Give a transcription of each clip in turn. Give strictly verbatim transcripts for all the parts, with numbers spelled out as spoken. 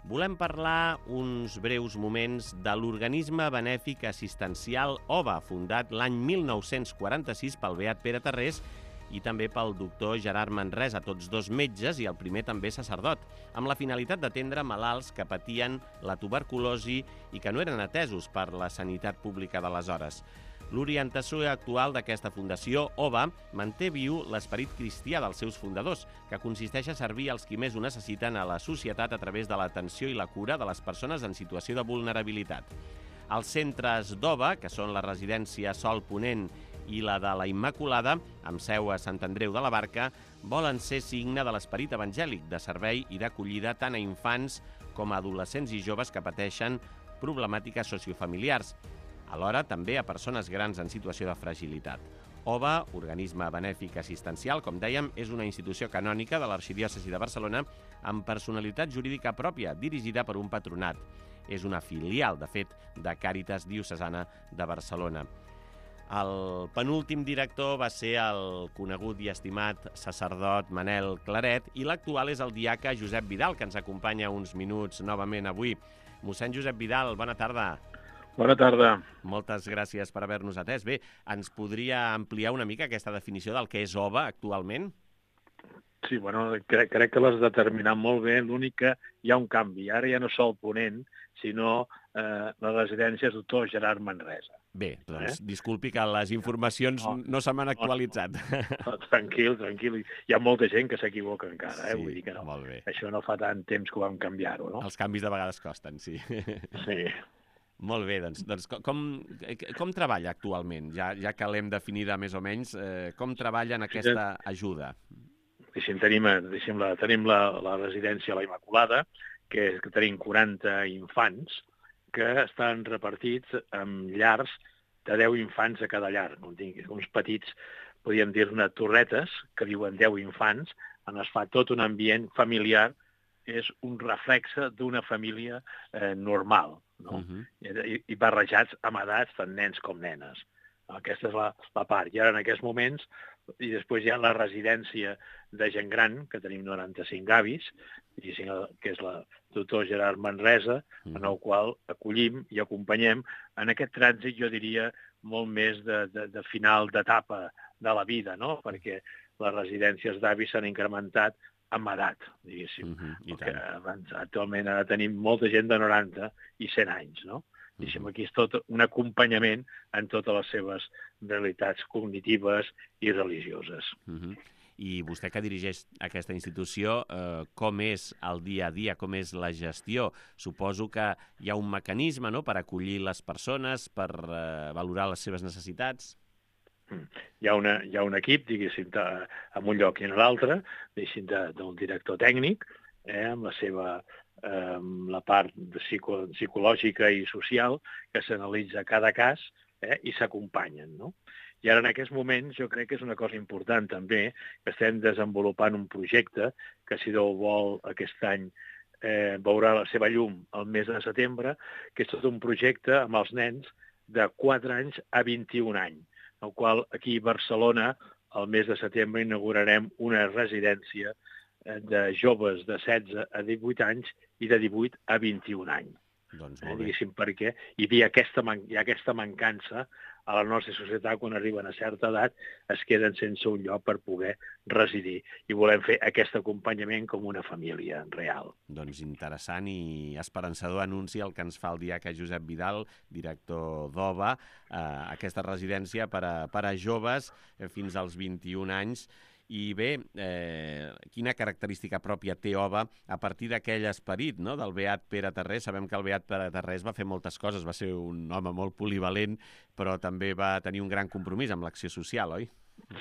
volem parlar uns breus moments de l'organisme benèfic assistencial O B A, fundat l'any mil nou-cents quaranta-sis pel beat Pere Tarrés i també pel doctor Gerard Manresa, tots dos metges i el primer també sacerdot, amb la finalitat d'atendre malalts que patien la tuberculosi i que no eren atesos per la sanitat pública d'aleshores. L'orientació actual d'aquesta fundació, O B A, manté viu l'esperit cristià dels seus fundadors, que consisteix a servir als qui més ho necessiten a la societat a través de l'atenció i la cura de les persones en situació de vulnerabilitat. Els centres d'O B A, que són la residència Sol Ponent i la de la Immaculada, amb seu a Sant Andreu de la Barca, volen ser signe de l'esperit evangèlic, de servei i d'acollida tant a infants com a adolescents i joves que pateixen problemàtiques sociofamiliars, alhora també a persones grans en situació de fragilitat. O B A, organisme benèfic assistencial, com dèiem, és una institució canònica de l'Arxidiòcesi de Barcelona amb personalitat jurídica pròpia, dirigida per un patronat. És una filial, de fet, de Càritas Diocesana de Barcelona. El penúltim director va ser el conegut i estimat sacerdot Manel Claret i l'actual és el diaca Josep Vidal, que ens acompanya uns minuts novament avui. Mossèn Josep Vidal, bona tarda. Bona tarda. Moltes gràcies per haver-nos atès. Bé, ens podria ampliar una mica aquesta definició del que és O B A actualment? Sí, bueno, crec, crec que l'has determinat molt bé. L'únic que hi ha un canvi. Ara ja no Sol Ponent, sinó eh, la residència doctor Gerard Manresa. Bé, doncs eh? disculpi que les informacions no, no se m'han actualitzat. No, no, tranquil, tranquil. Hi ha molta gent que s'equivoca encara, eh? Sí, Vull dir que no. Molt bé. Això no fa tant temps que ho vam canviar-ho, no? Els canvis de vegades costen, sí. Sí. Molt bé, doncs, doncs com, com treballa actualment? Ja, ja que l'hem definida més o menys, eh, com treballa en aquesta ajuda? Deixem, tenim, deixem la, tenim la, la residència La Immaculada, que, és, que tenim quaranta infants que estan repartits en llars de deu infants a cada llar. Uns petits, podríem dir-ne, torretes, que viuen deu infants, on es fa tot un ambient familiar, és un reflexe d'una família eh, normal, no? Uh-huh. I, i barrejats amb edats tant nens com nenes. Aquesta és la, la part. I ara en aquests moments, i després hi ha la residència de gent gran, que tenim noranta-cinc avis, que és la doctor Gerard Manresa, uh-huh. en el qual acollim i acompanyem en aquest trànsit, jo diria, molt més de, de, de final d'etapa de la vida, no? Perquè les residències d'avis s'han incrementat amb edat, diguéssim. Uh-huh, abans, actualment ara tenim molta gent de noranta i cent anys, no? Uh-huh. Aquí és tot un acompanyament en totes les seves realitats cognitives i religioses. Uh-huh. I vostè que dirigeix aquesta institució, eh, com és el dia a dia, com és la gestió? Suposo que hi ha un mecanisme, no?, per acollir les persones, per eh, valorar les seves necessitats? Hi ha, una, hi ha un equip, diguéssim, de, en un lloc i en l'altre, diguéssim, de, del director tècnic, eh, amb la seva eh, la part psico, psicològica i social, que s'analitza cada cas eh, i s'acompanyen, no? I ara, en aquests moments, jo crec que és una cosa important també, que estem desenvolupant un projecte que, si Déu vol, aquest any eh, veurà la seva llum el mes de setembre, que és tot un projecte amb els nens de quatre anys a vint-i-un anys, el qual aquí a Barcelona, el mes de setembre, inaugurarem una residència de joves de setze a divuit anys i de divuit a vint-i-un anys. Doncs eh, diguéssim, perquè hi havia aquesta, man hi ha aquesta mancança a la nostra societat quan arriben a certa edat, es queden sense un lloc per poder residir. I volem fer aquest acompanyament com una família real. Doncs interessant i esperançador anunci el que ens fa el diaca Josep Vidal, director d'O B A, eh, aquesta residència per a, per a joves eh, fins als vint-i-un anys. I bé, eh, quina característica pròpia té O B A a partir d'aquell esperit, no?, del beat Pere Tarrés? Sabem que el beat Pere Tarrés va fer moltes coses, va ser un home molt polivalent, però també va tenir un gran compromís amb l'acció social, oi?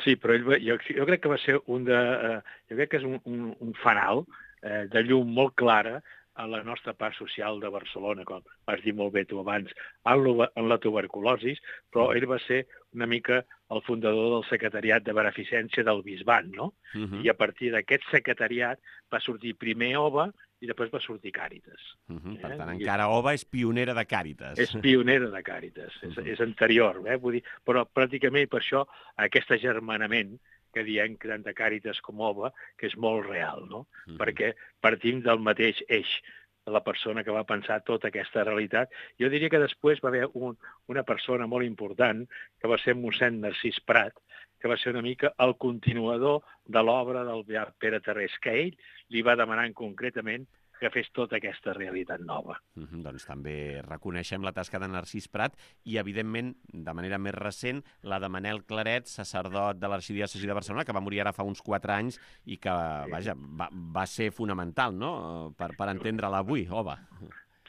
Sí, però ell va, jo, jo crec que va ser un de... Eh, jo crec que és un, un, un fanal eh, de llum molt clara a la nostra part social de Barcelona, com vas dir molt bé tu abans, en, lo, en la tuberculosi, però ell va ser una mica el fundador del secretariat de beneficència del Bisbat, no? Uh-huh. I a partir d'aquest secretariat va sortir primer O B A i després va sortir Càritas. Uh-huh. Per tant, eh? encara O B A és pionera de Càritas. És pionera de Càritas, uh-huh. és, és anterior, eh? Vull dir, però pràcticament per això aquest agermanament que diem que tant de Càritas com O B A, que és molt real, no? Uh-huh. Perquè partim del mateix eix la persona que va pensar tota aquesta realitat. Jo diria que després va haver un, una persona molt important, que va ser mossèn Narcís Prat, que va ser una mica el continuador de l'obra del beat Pere Tarrés, que ell li va demanar concretament que fes tota aquesta realitat nova. Mm -hmm, doncs també reconeixem la tasca de Narcís Prat i, evidentment, de manera més recent, la de Manel Claret, sacerdot de l'Arxidiòcesi de Barcelona, que va morir ara fa uns quatre anys i que, vaja, va, va ser fonamental, no?, per, per entendre-la avui, Ova.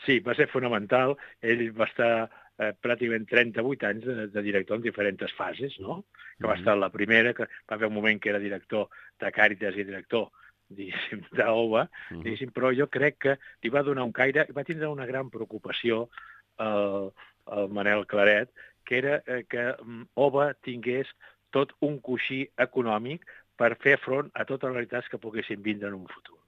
Sí, va ser fonamental. Ell va estar eh, pràcticament trenta-vuit anys de, de director en diferents fases, no? Que va estar la primera, que va haver un moment que era director de Càritas i director diguéssim, d'Ova, diguéssim, però jo crec que li va donar un caire, va tindre una gran preocupació el, el Manel Claret, que era eh, que Ova tingués tot un coixí econòmic per fer front a totes les realitats que poguessin vindre en un futur.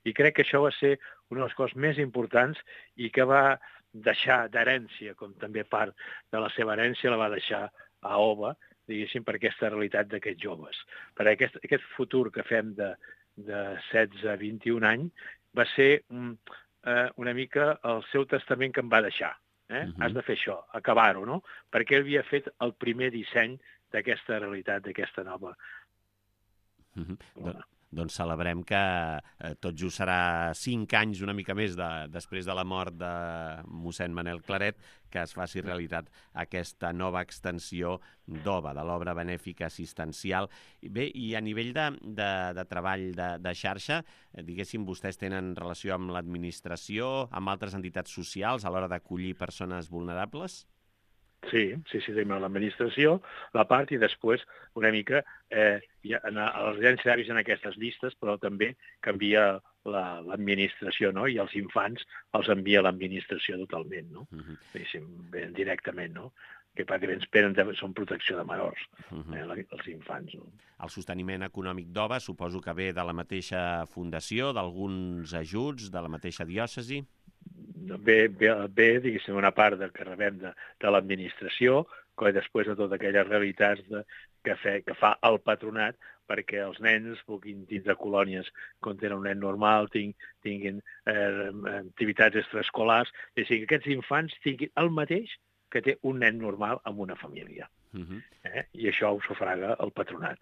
I crec que això va ser una de les coses més importants i que va deixar d'herència, com també part de la seva herència la va deixar a Ova, diguéssim, per aquesta realitat d'aquests joves. Per aquest, aquest futur que fem de, de setze a vint-i-un anys va ser um, eh, una mica el seu testament que em va deixar. Eh? Uh-huh. Has de fer això, acabar-ho, no? Perquè ell havia fet el primer disseny d'aquesta realitat, d'aquesta nova. Uh-huh. Bueno. Doncs celebrem que eh, tot just serà cinc anys, una mica més, de, després de la mort de mossèn Manel Claret, que es faci realitat aquesta nova extensió d'Ova, de l'obra benèfica assistencial. Bé, i a nivell de, de, de treball de, de xarxa, eh, diguéssim, vostès tenen relació amb l'administració, amb altres entitats socials a l'hora d'acollir persones vulnerables? Sí, sí, sí, tenim l'administració, la part, i després una mica eh, ja, a les residències d'avis en aquestes llistes, però també canvia l'administració, la, no? I els infants els envia l'administració totalment, no? Uh -huh. Diguéssim, ben directament, no? Que pràcticament esperen, són protecció de menors, uh -huh. eh, els infants. No? El sosteniment econòmic d'Ova suposo que ve de la mateixa fundació, d'alguns ajuts, de la mateixa diòcesi? Ve, ve, ve diguéssim, una part del que rebem de, de l'administració, que després de totes aquelles realitats de, que, fe, que fa el patronat perquè els nens puguin tindre colònies on tenen un nen normal, ting, tinguin eh, activitats extraescolars, és a dir, que aquests infants tinguin el mateix que té un nen normal amb una família. Uh-huh. eh? I això ho sufraga el patronat,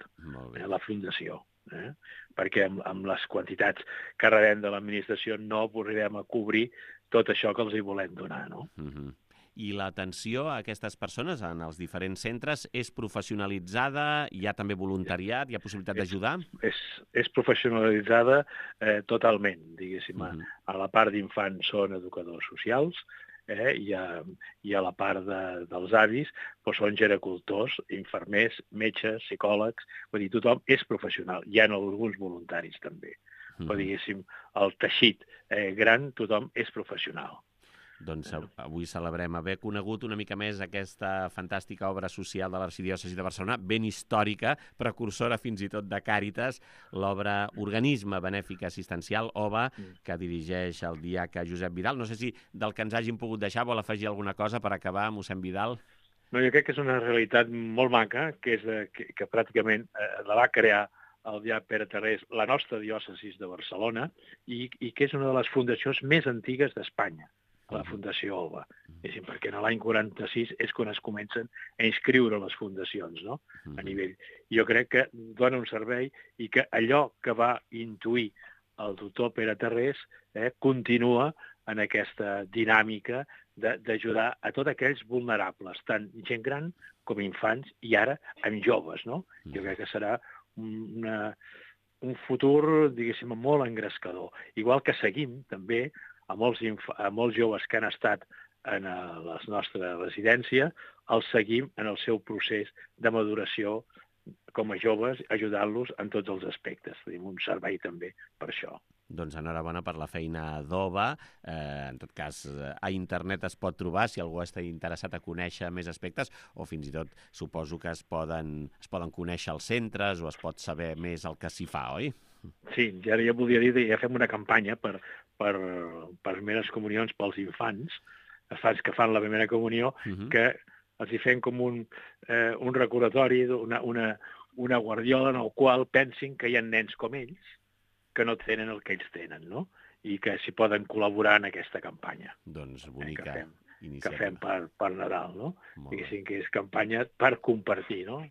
eh? La fundació. Eh? Perquè amb, amb les quantitats que rebem de l'administració no arribem a cobrir tot això que els hi volem donar, no? Uh-huh. I l'atenció a aquestes persones en els diferents centres és professionalitzada? Hi ha també voluntariat? Hi ha possibilitat d'ajudar? És, és professionalitzada eh, totalment, diguéssim. Uh-huh. A la part d'infants són educadors socials, eh, i, a, i a la part de, dels avis doncs són gericultors, infermers, metges, psicòlegs, vull dir, tothom és professional. Hi ha alguns voluntaris també. Uh-huh. Però, diguéssim, el teixit eh, gran, tothom és professional. Doncs avui celebrem haver conegut una mica més aquesta fantàstica obra social de l'Arxidiòcesi de Barcelona, ben històrica, precursora fins i tot de Càritas, l'obra Organisme Benèfic Assistencial, Ova, que dirigeix el diaca Josep Vidal. No sé si del que ens hàgim pogut deixar vol afegir alguna cosa per acabar, mossèn Vidal? No, jo crec que és una realitat molt maca, que, és de, que, que pràcticament eh, la va crear el beat Pere Tarrés, la nostra diòcesi de Barcelona, i, i que és una de les fundacions més antigues d'Espanya, la Fundació Ova. És dir, perquè en l'any quaranta-sis és quan es comencen a inscriure les fundacions, no? A nivell. Jo crec que dona un servei i que allò que va intuir el doctor Pere Tarrés eh, continua en aquesta dinàmica d'ajudar a tots aquells vulnerables, tant gent gran com infants, i ara amb joves, no? Jo crec que serà una, un futur, diguéssim, molt engrescador. Igual que seguim, també, a molts, a molts joves que han estat en la nostra residència, els seguim en el seu procés de maduració com a joves, ajudant-los en tots els aspectes. Tenim un servei també per això. Doncs enhorabona per la feina d'Ova. Eh, en tot cas, a internet es pot trobar, si algú està interessat a conèixer més aspectes, o fins i tot suposo que es poden, es poden conèixer els centres o es pot saber més el que s'hi fa, oi? Sí, ja, ja volia dir que ja fem una campanya per, per, per primeres comunions pels infants, els infants que fan la primera comunió, uh-huh. que els hi fem com un, eh, un recordatori, una, una, una guardiola en el qual pensin que hi ha nens com ells que no tenen el que ells tenen, no? i que s'hi poden col·laborar en aquesta campanya. Doncs Eh, bonica que fem, que iniciativa. fem per, per Nadal, no? Molt bé. Diguéssim que és campanya per compartir, no?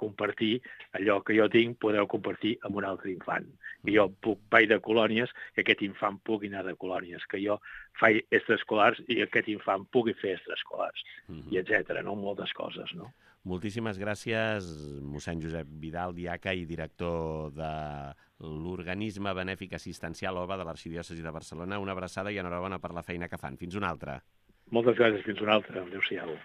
Compartir allò que jo tinc, podeu compartir amb un altre infant. Que jo puc vaig de colònies, que aquest infant pugui anar de colònies, que jo faig extraescolars i aquest infant pugui fer extraescolars, Mhm. i etcètera, no? Moltes coses, no? Moltíssimes gràcies, mossèn Josep Vidal, diaca i director de l'Organisme Benèfic Assistencial O B A de l'Arxidiòcesi de Barcelona. Una abraçada i enhorabona per la feina que fan. Fins una altra. Moltes gràcies, fins una altra. Adéu-siau.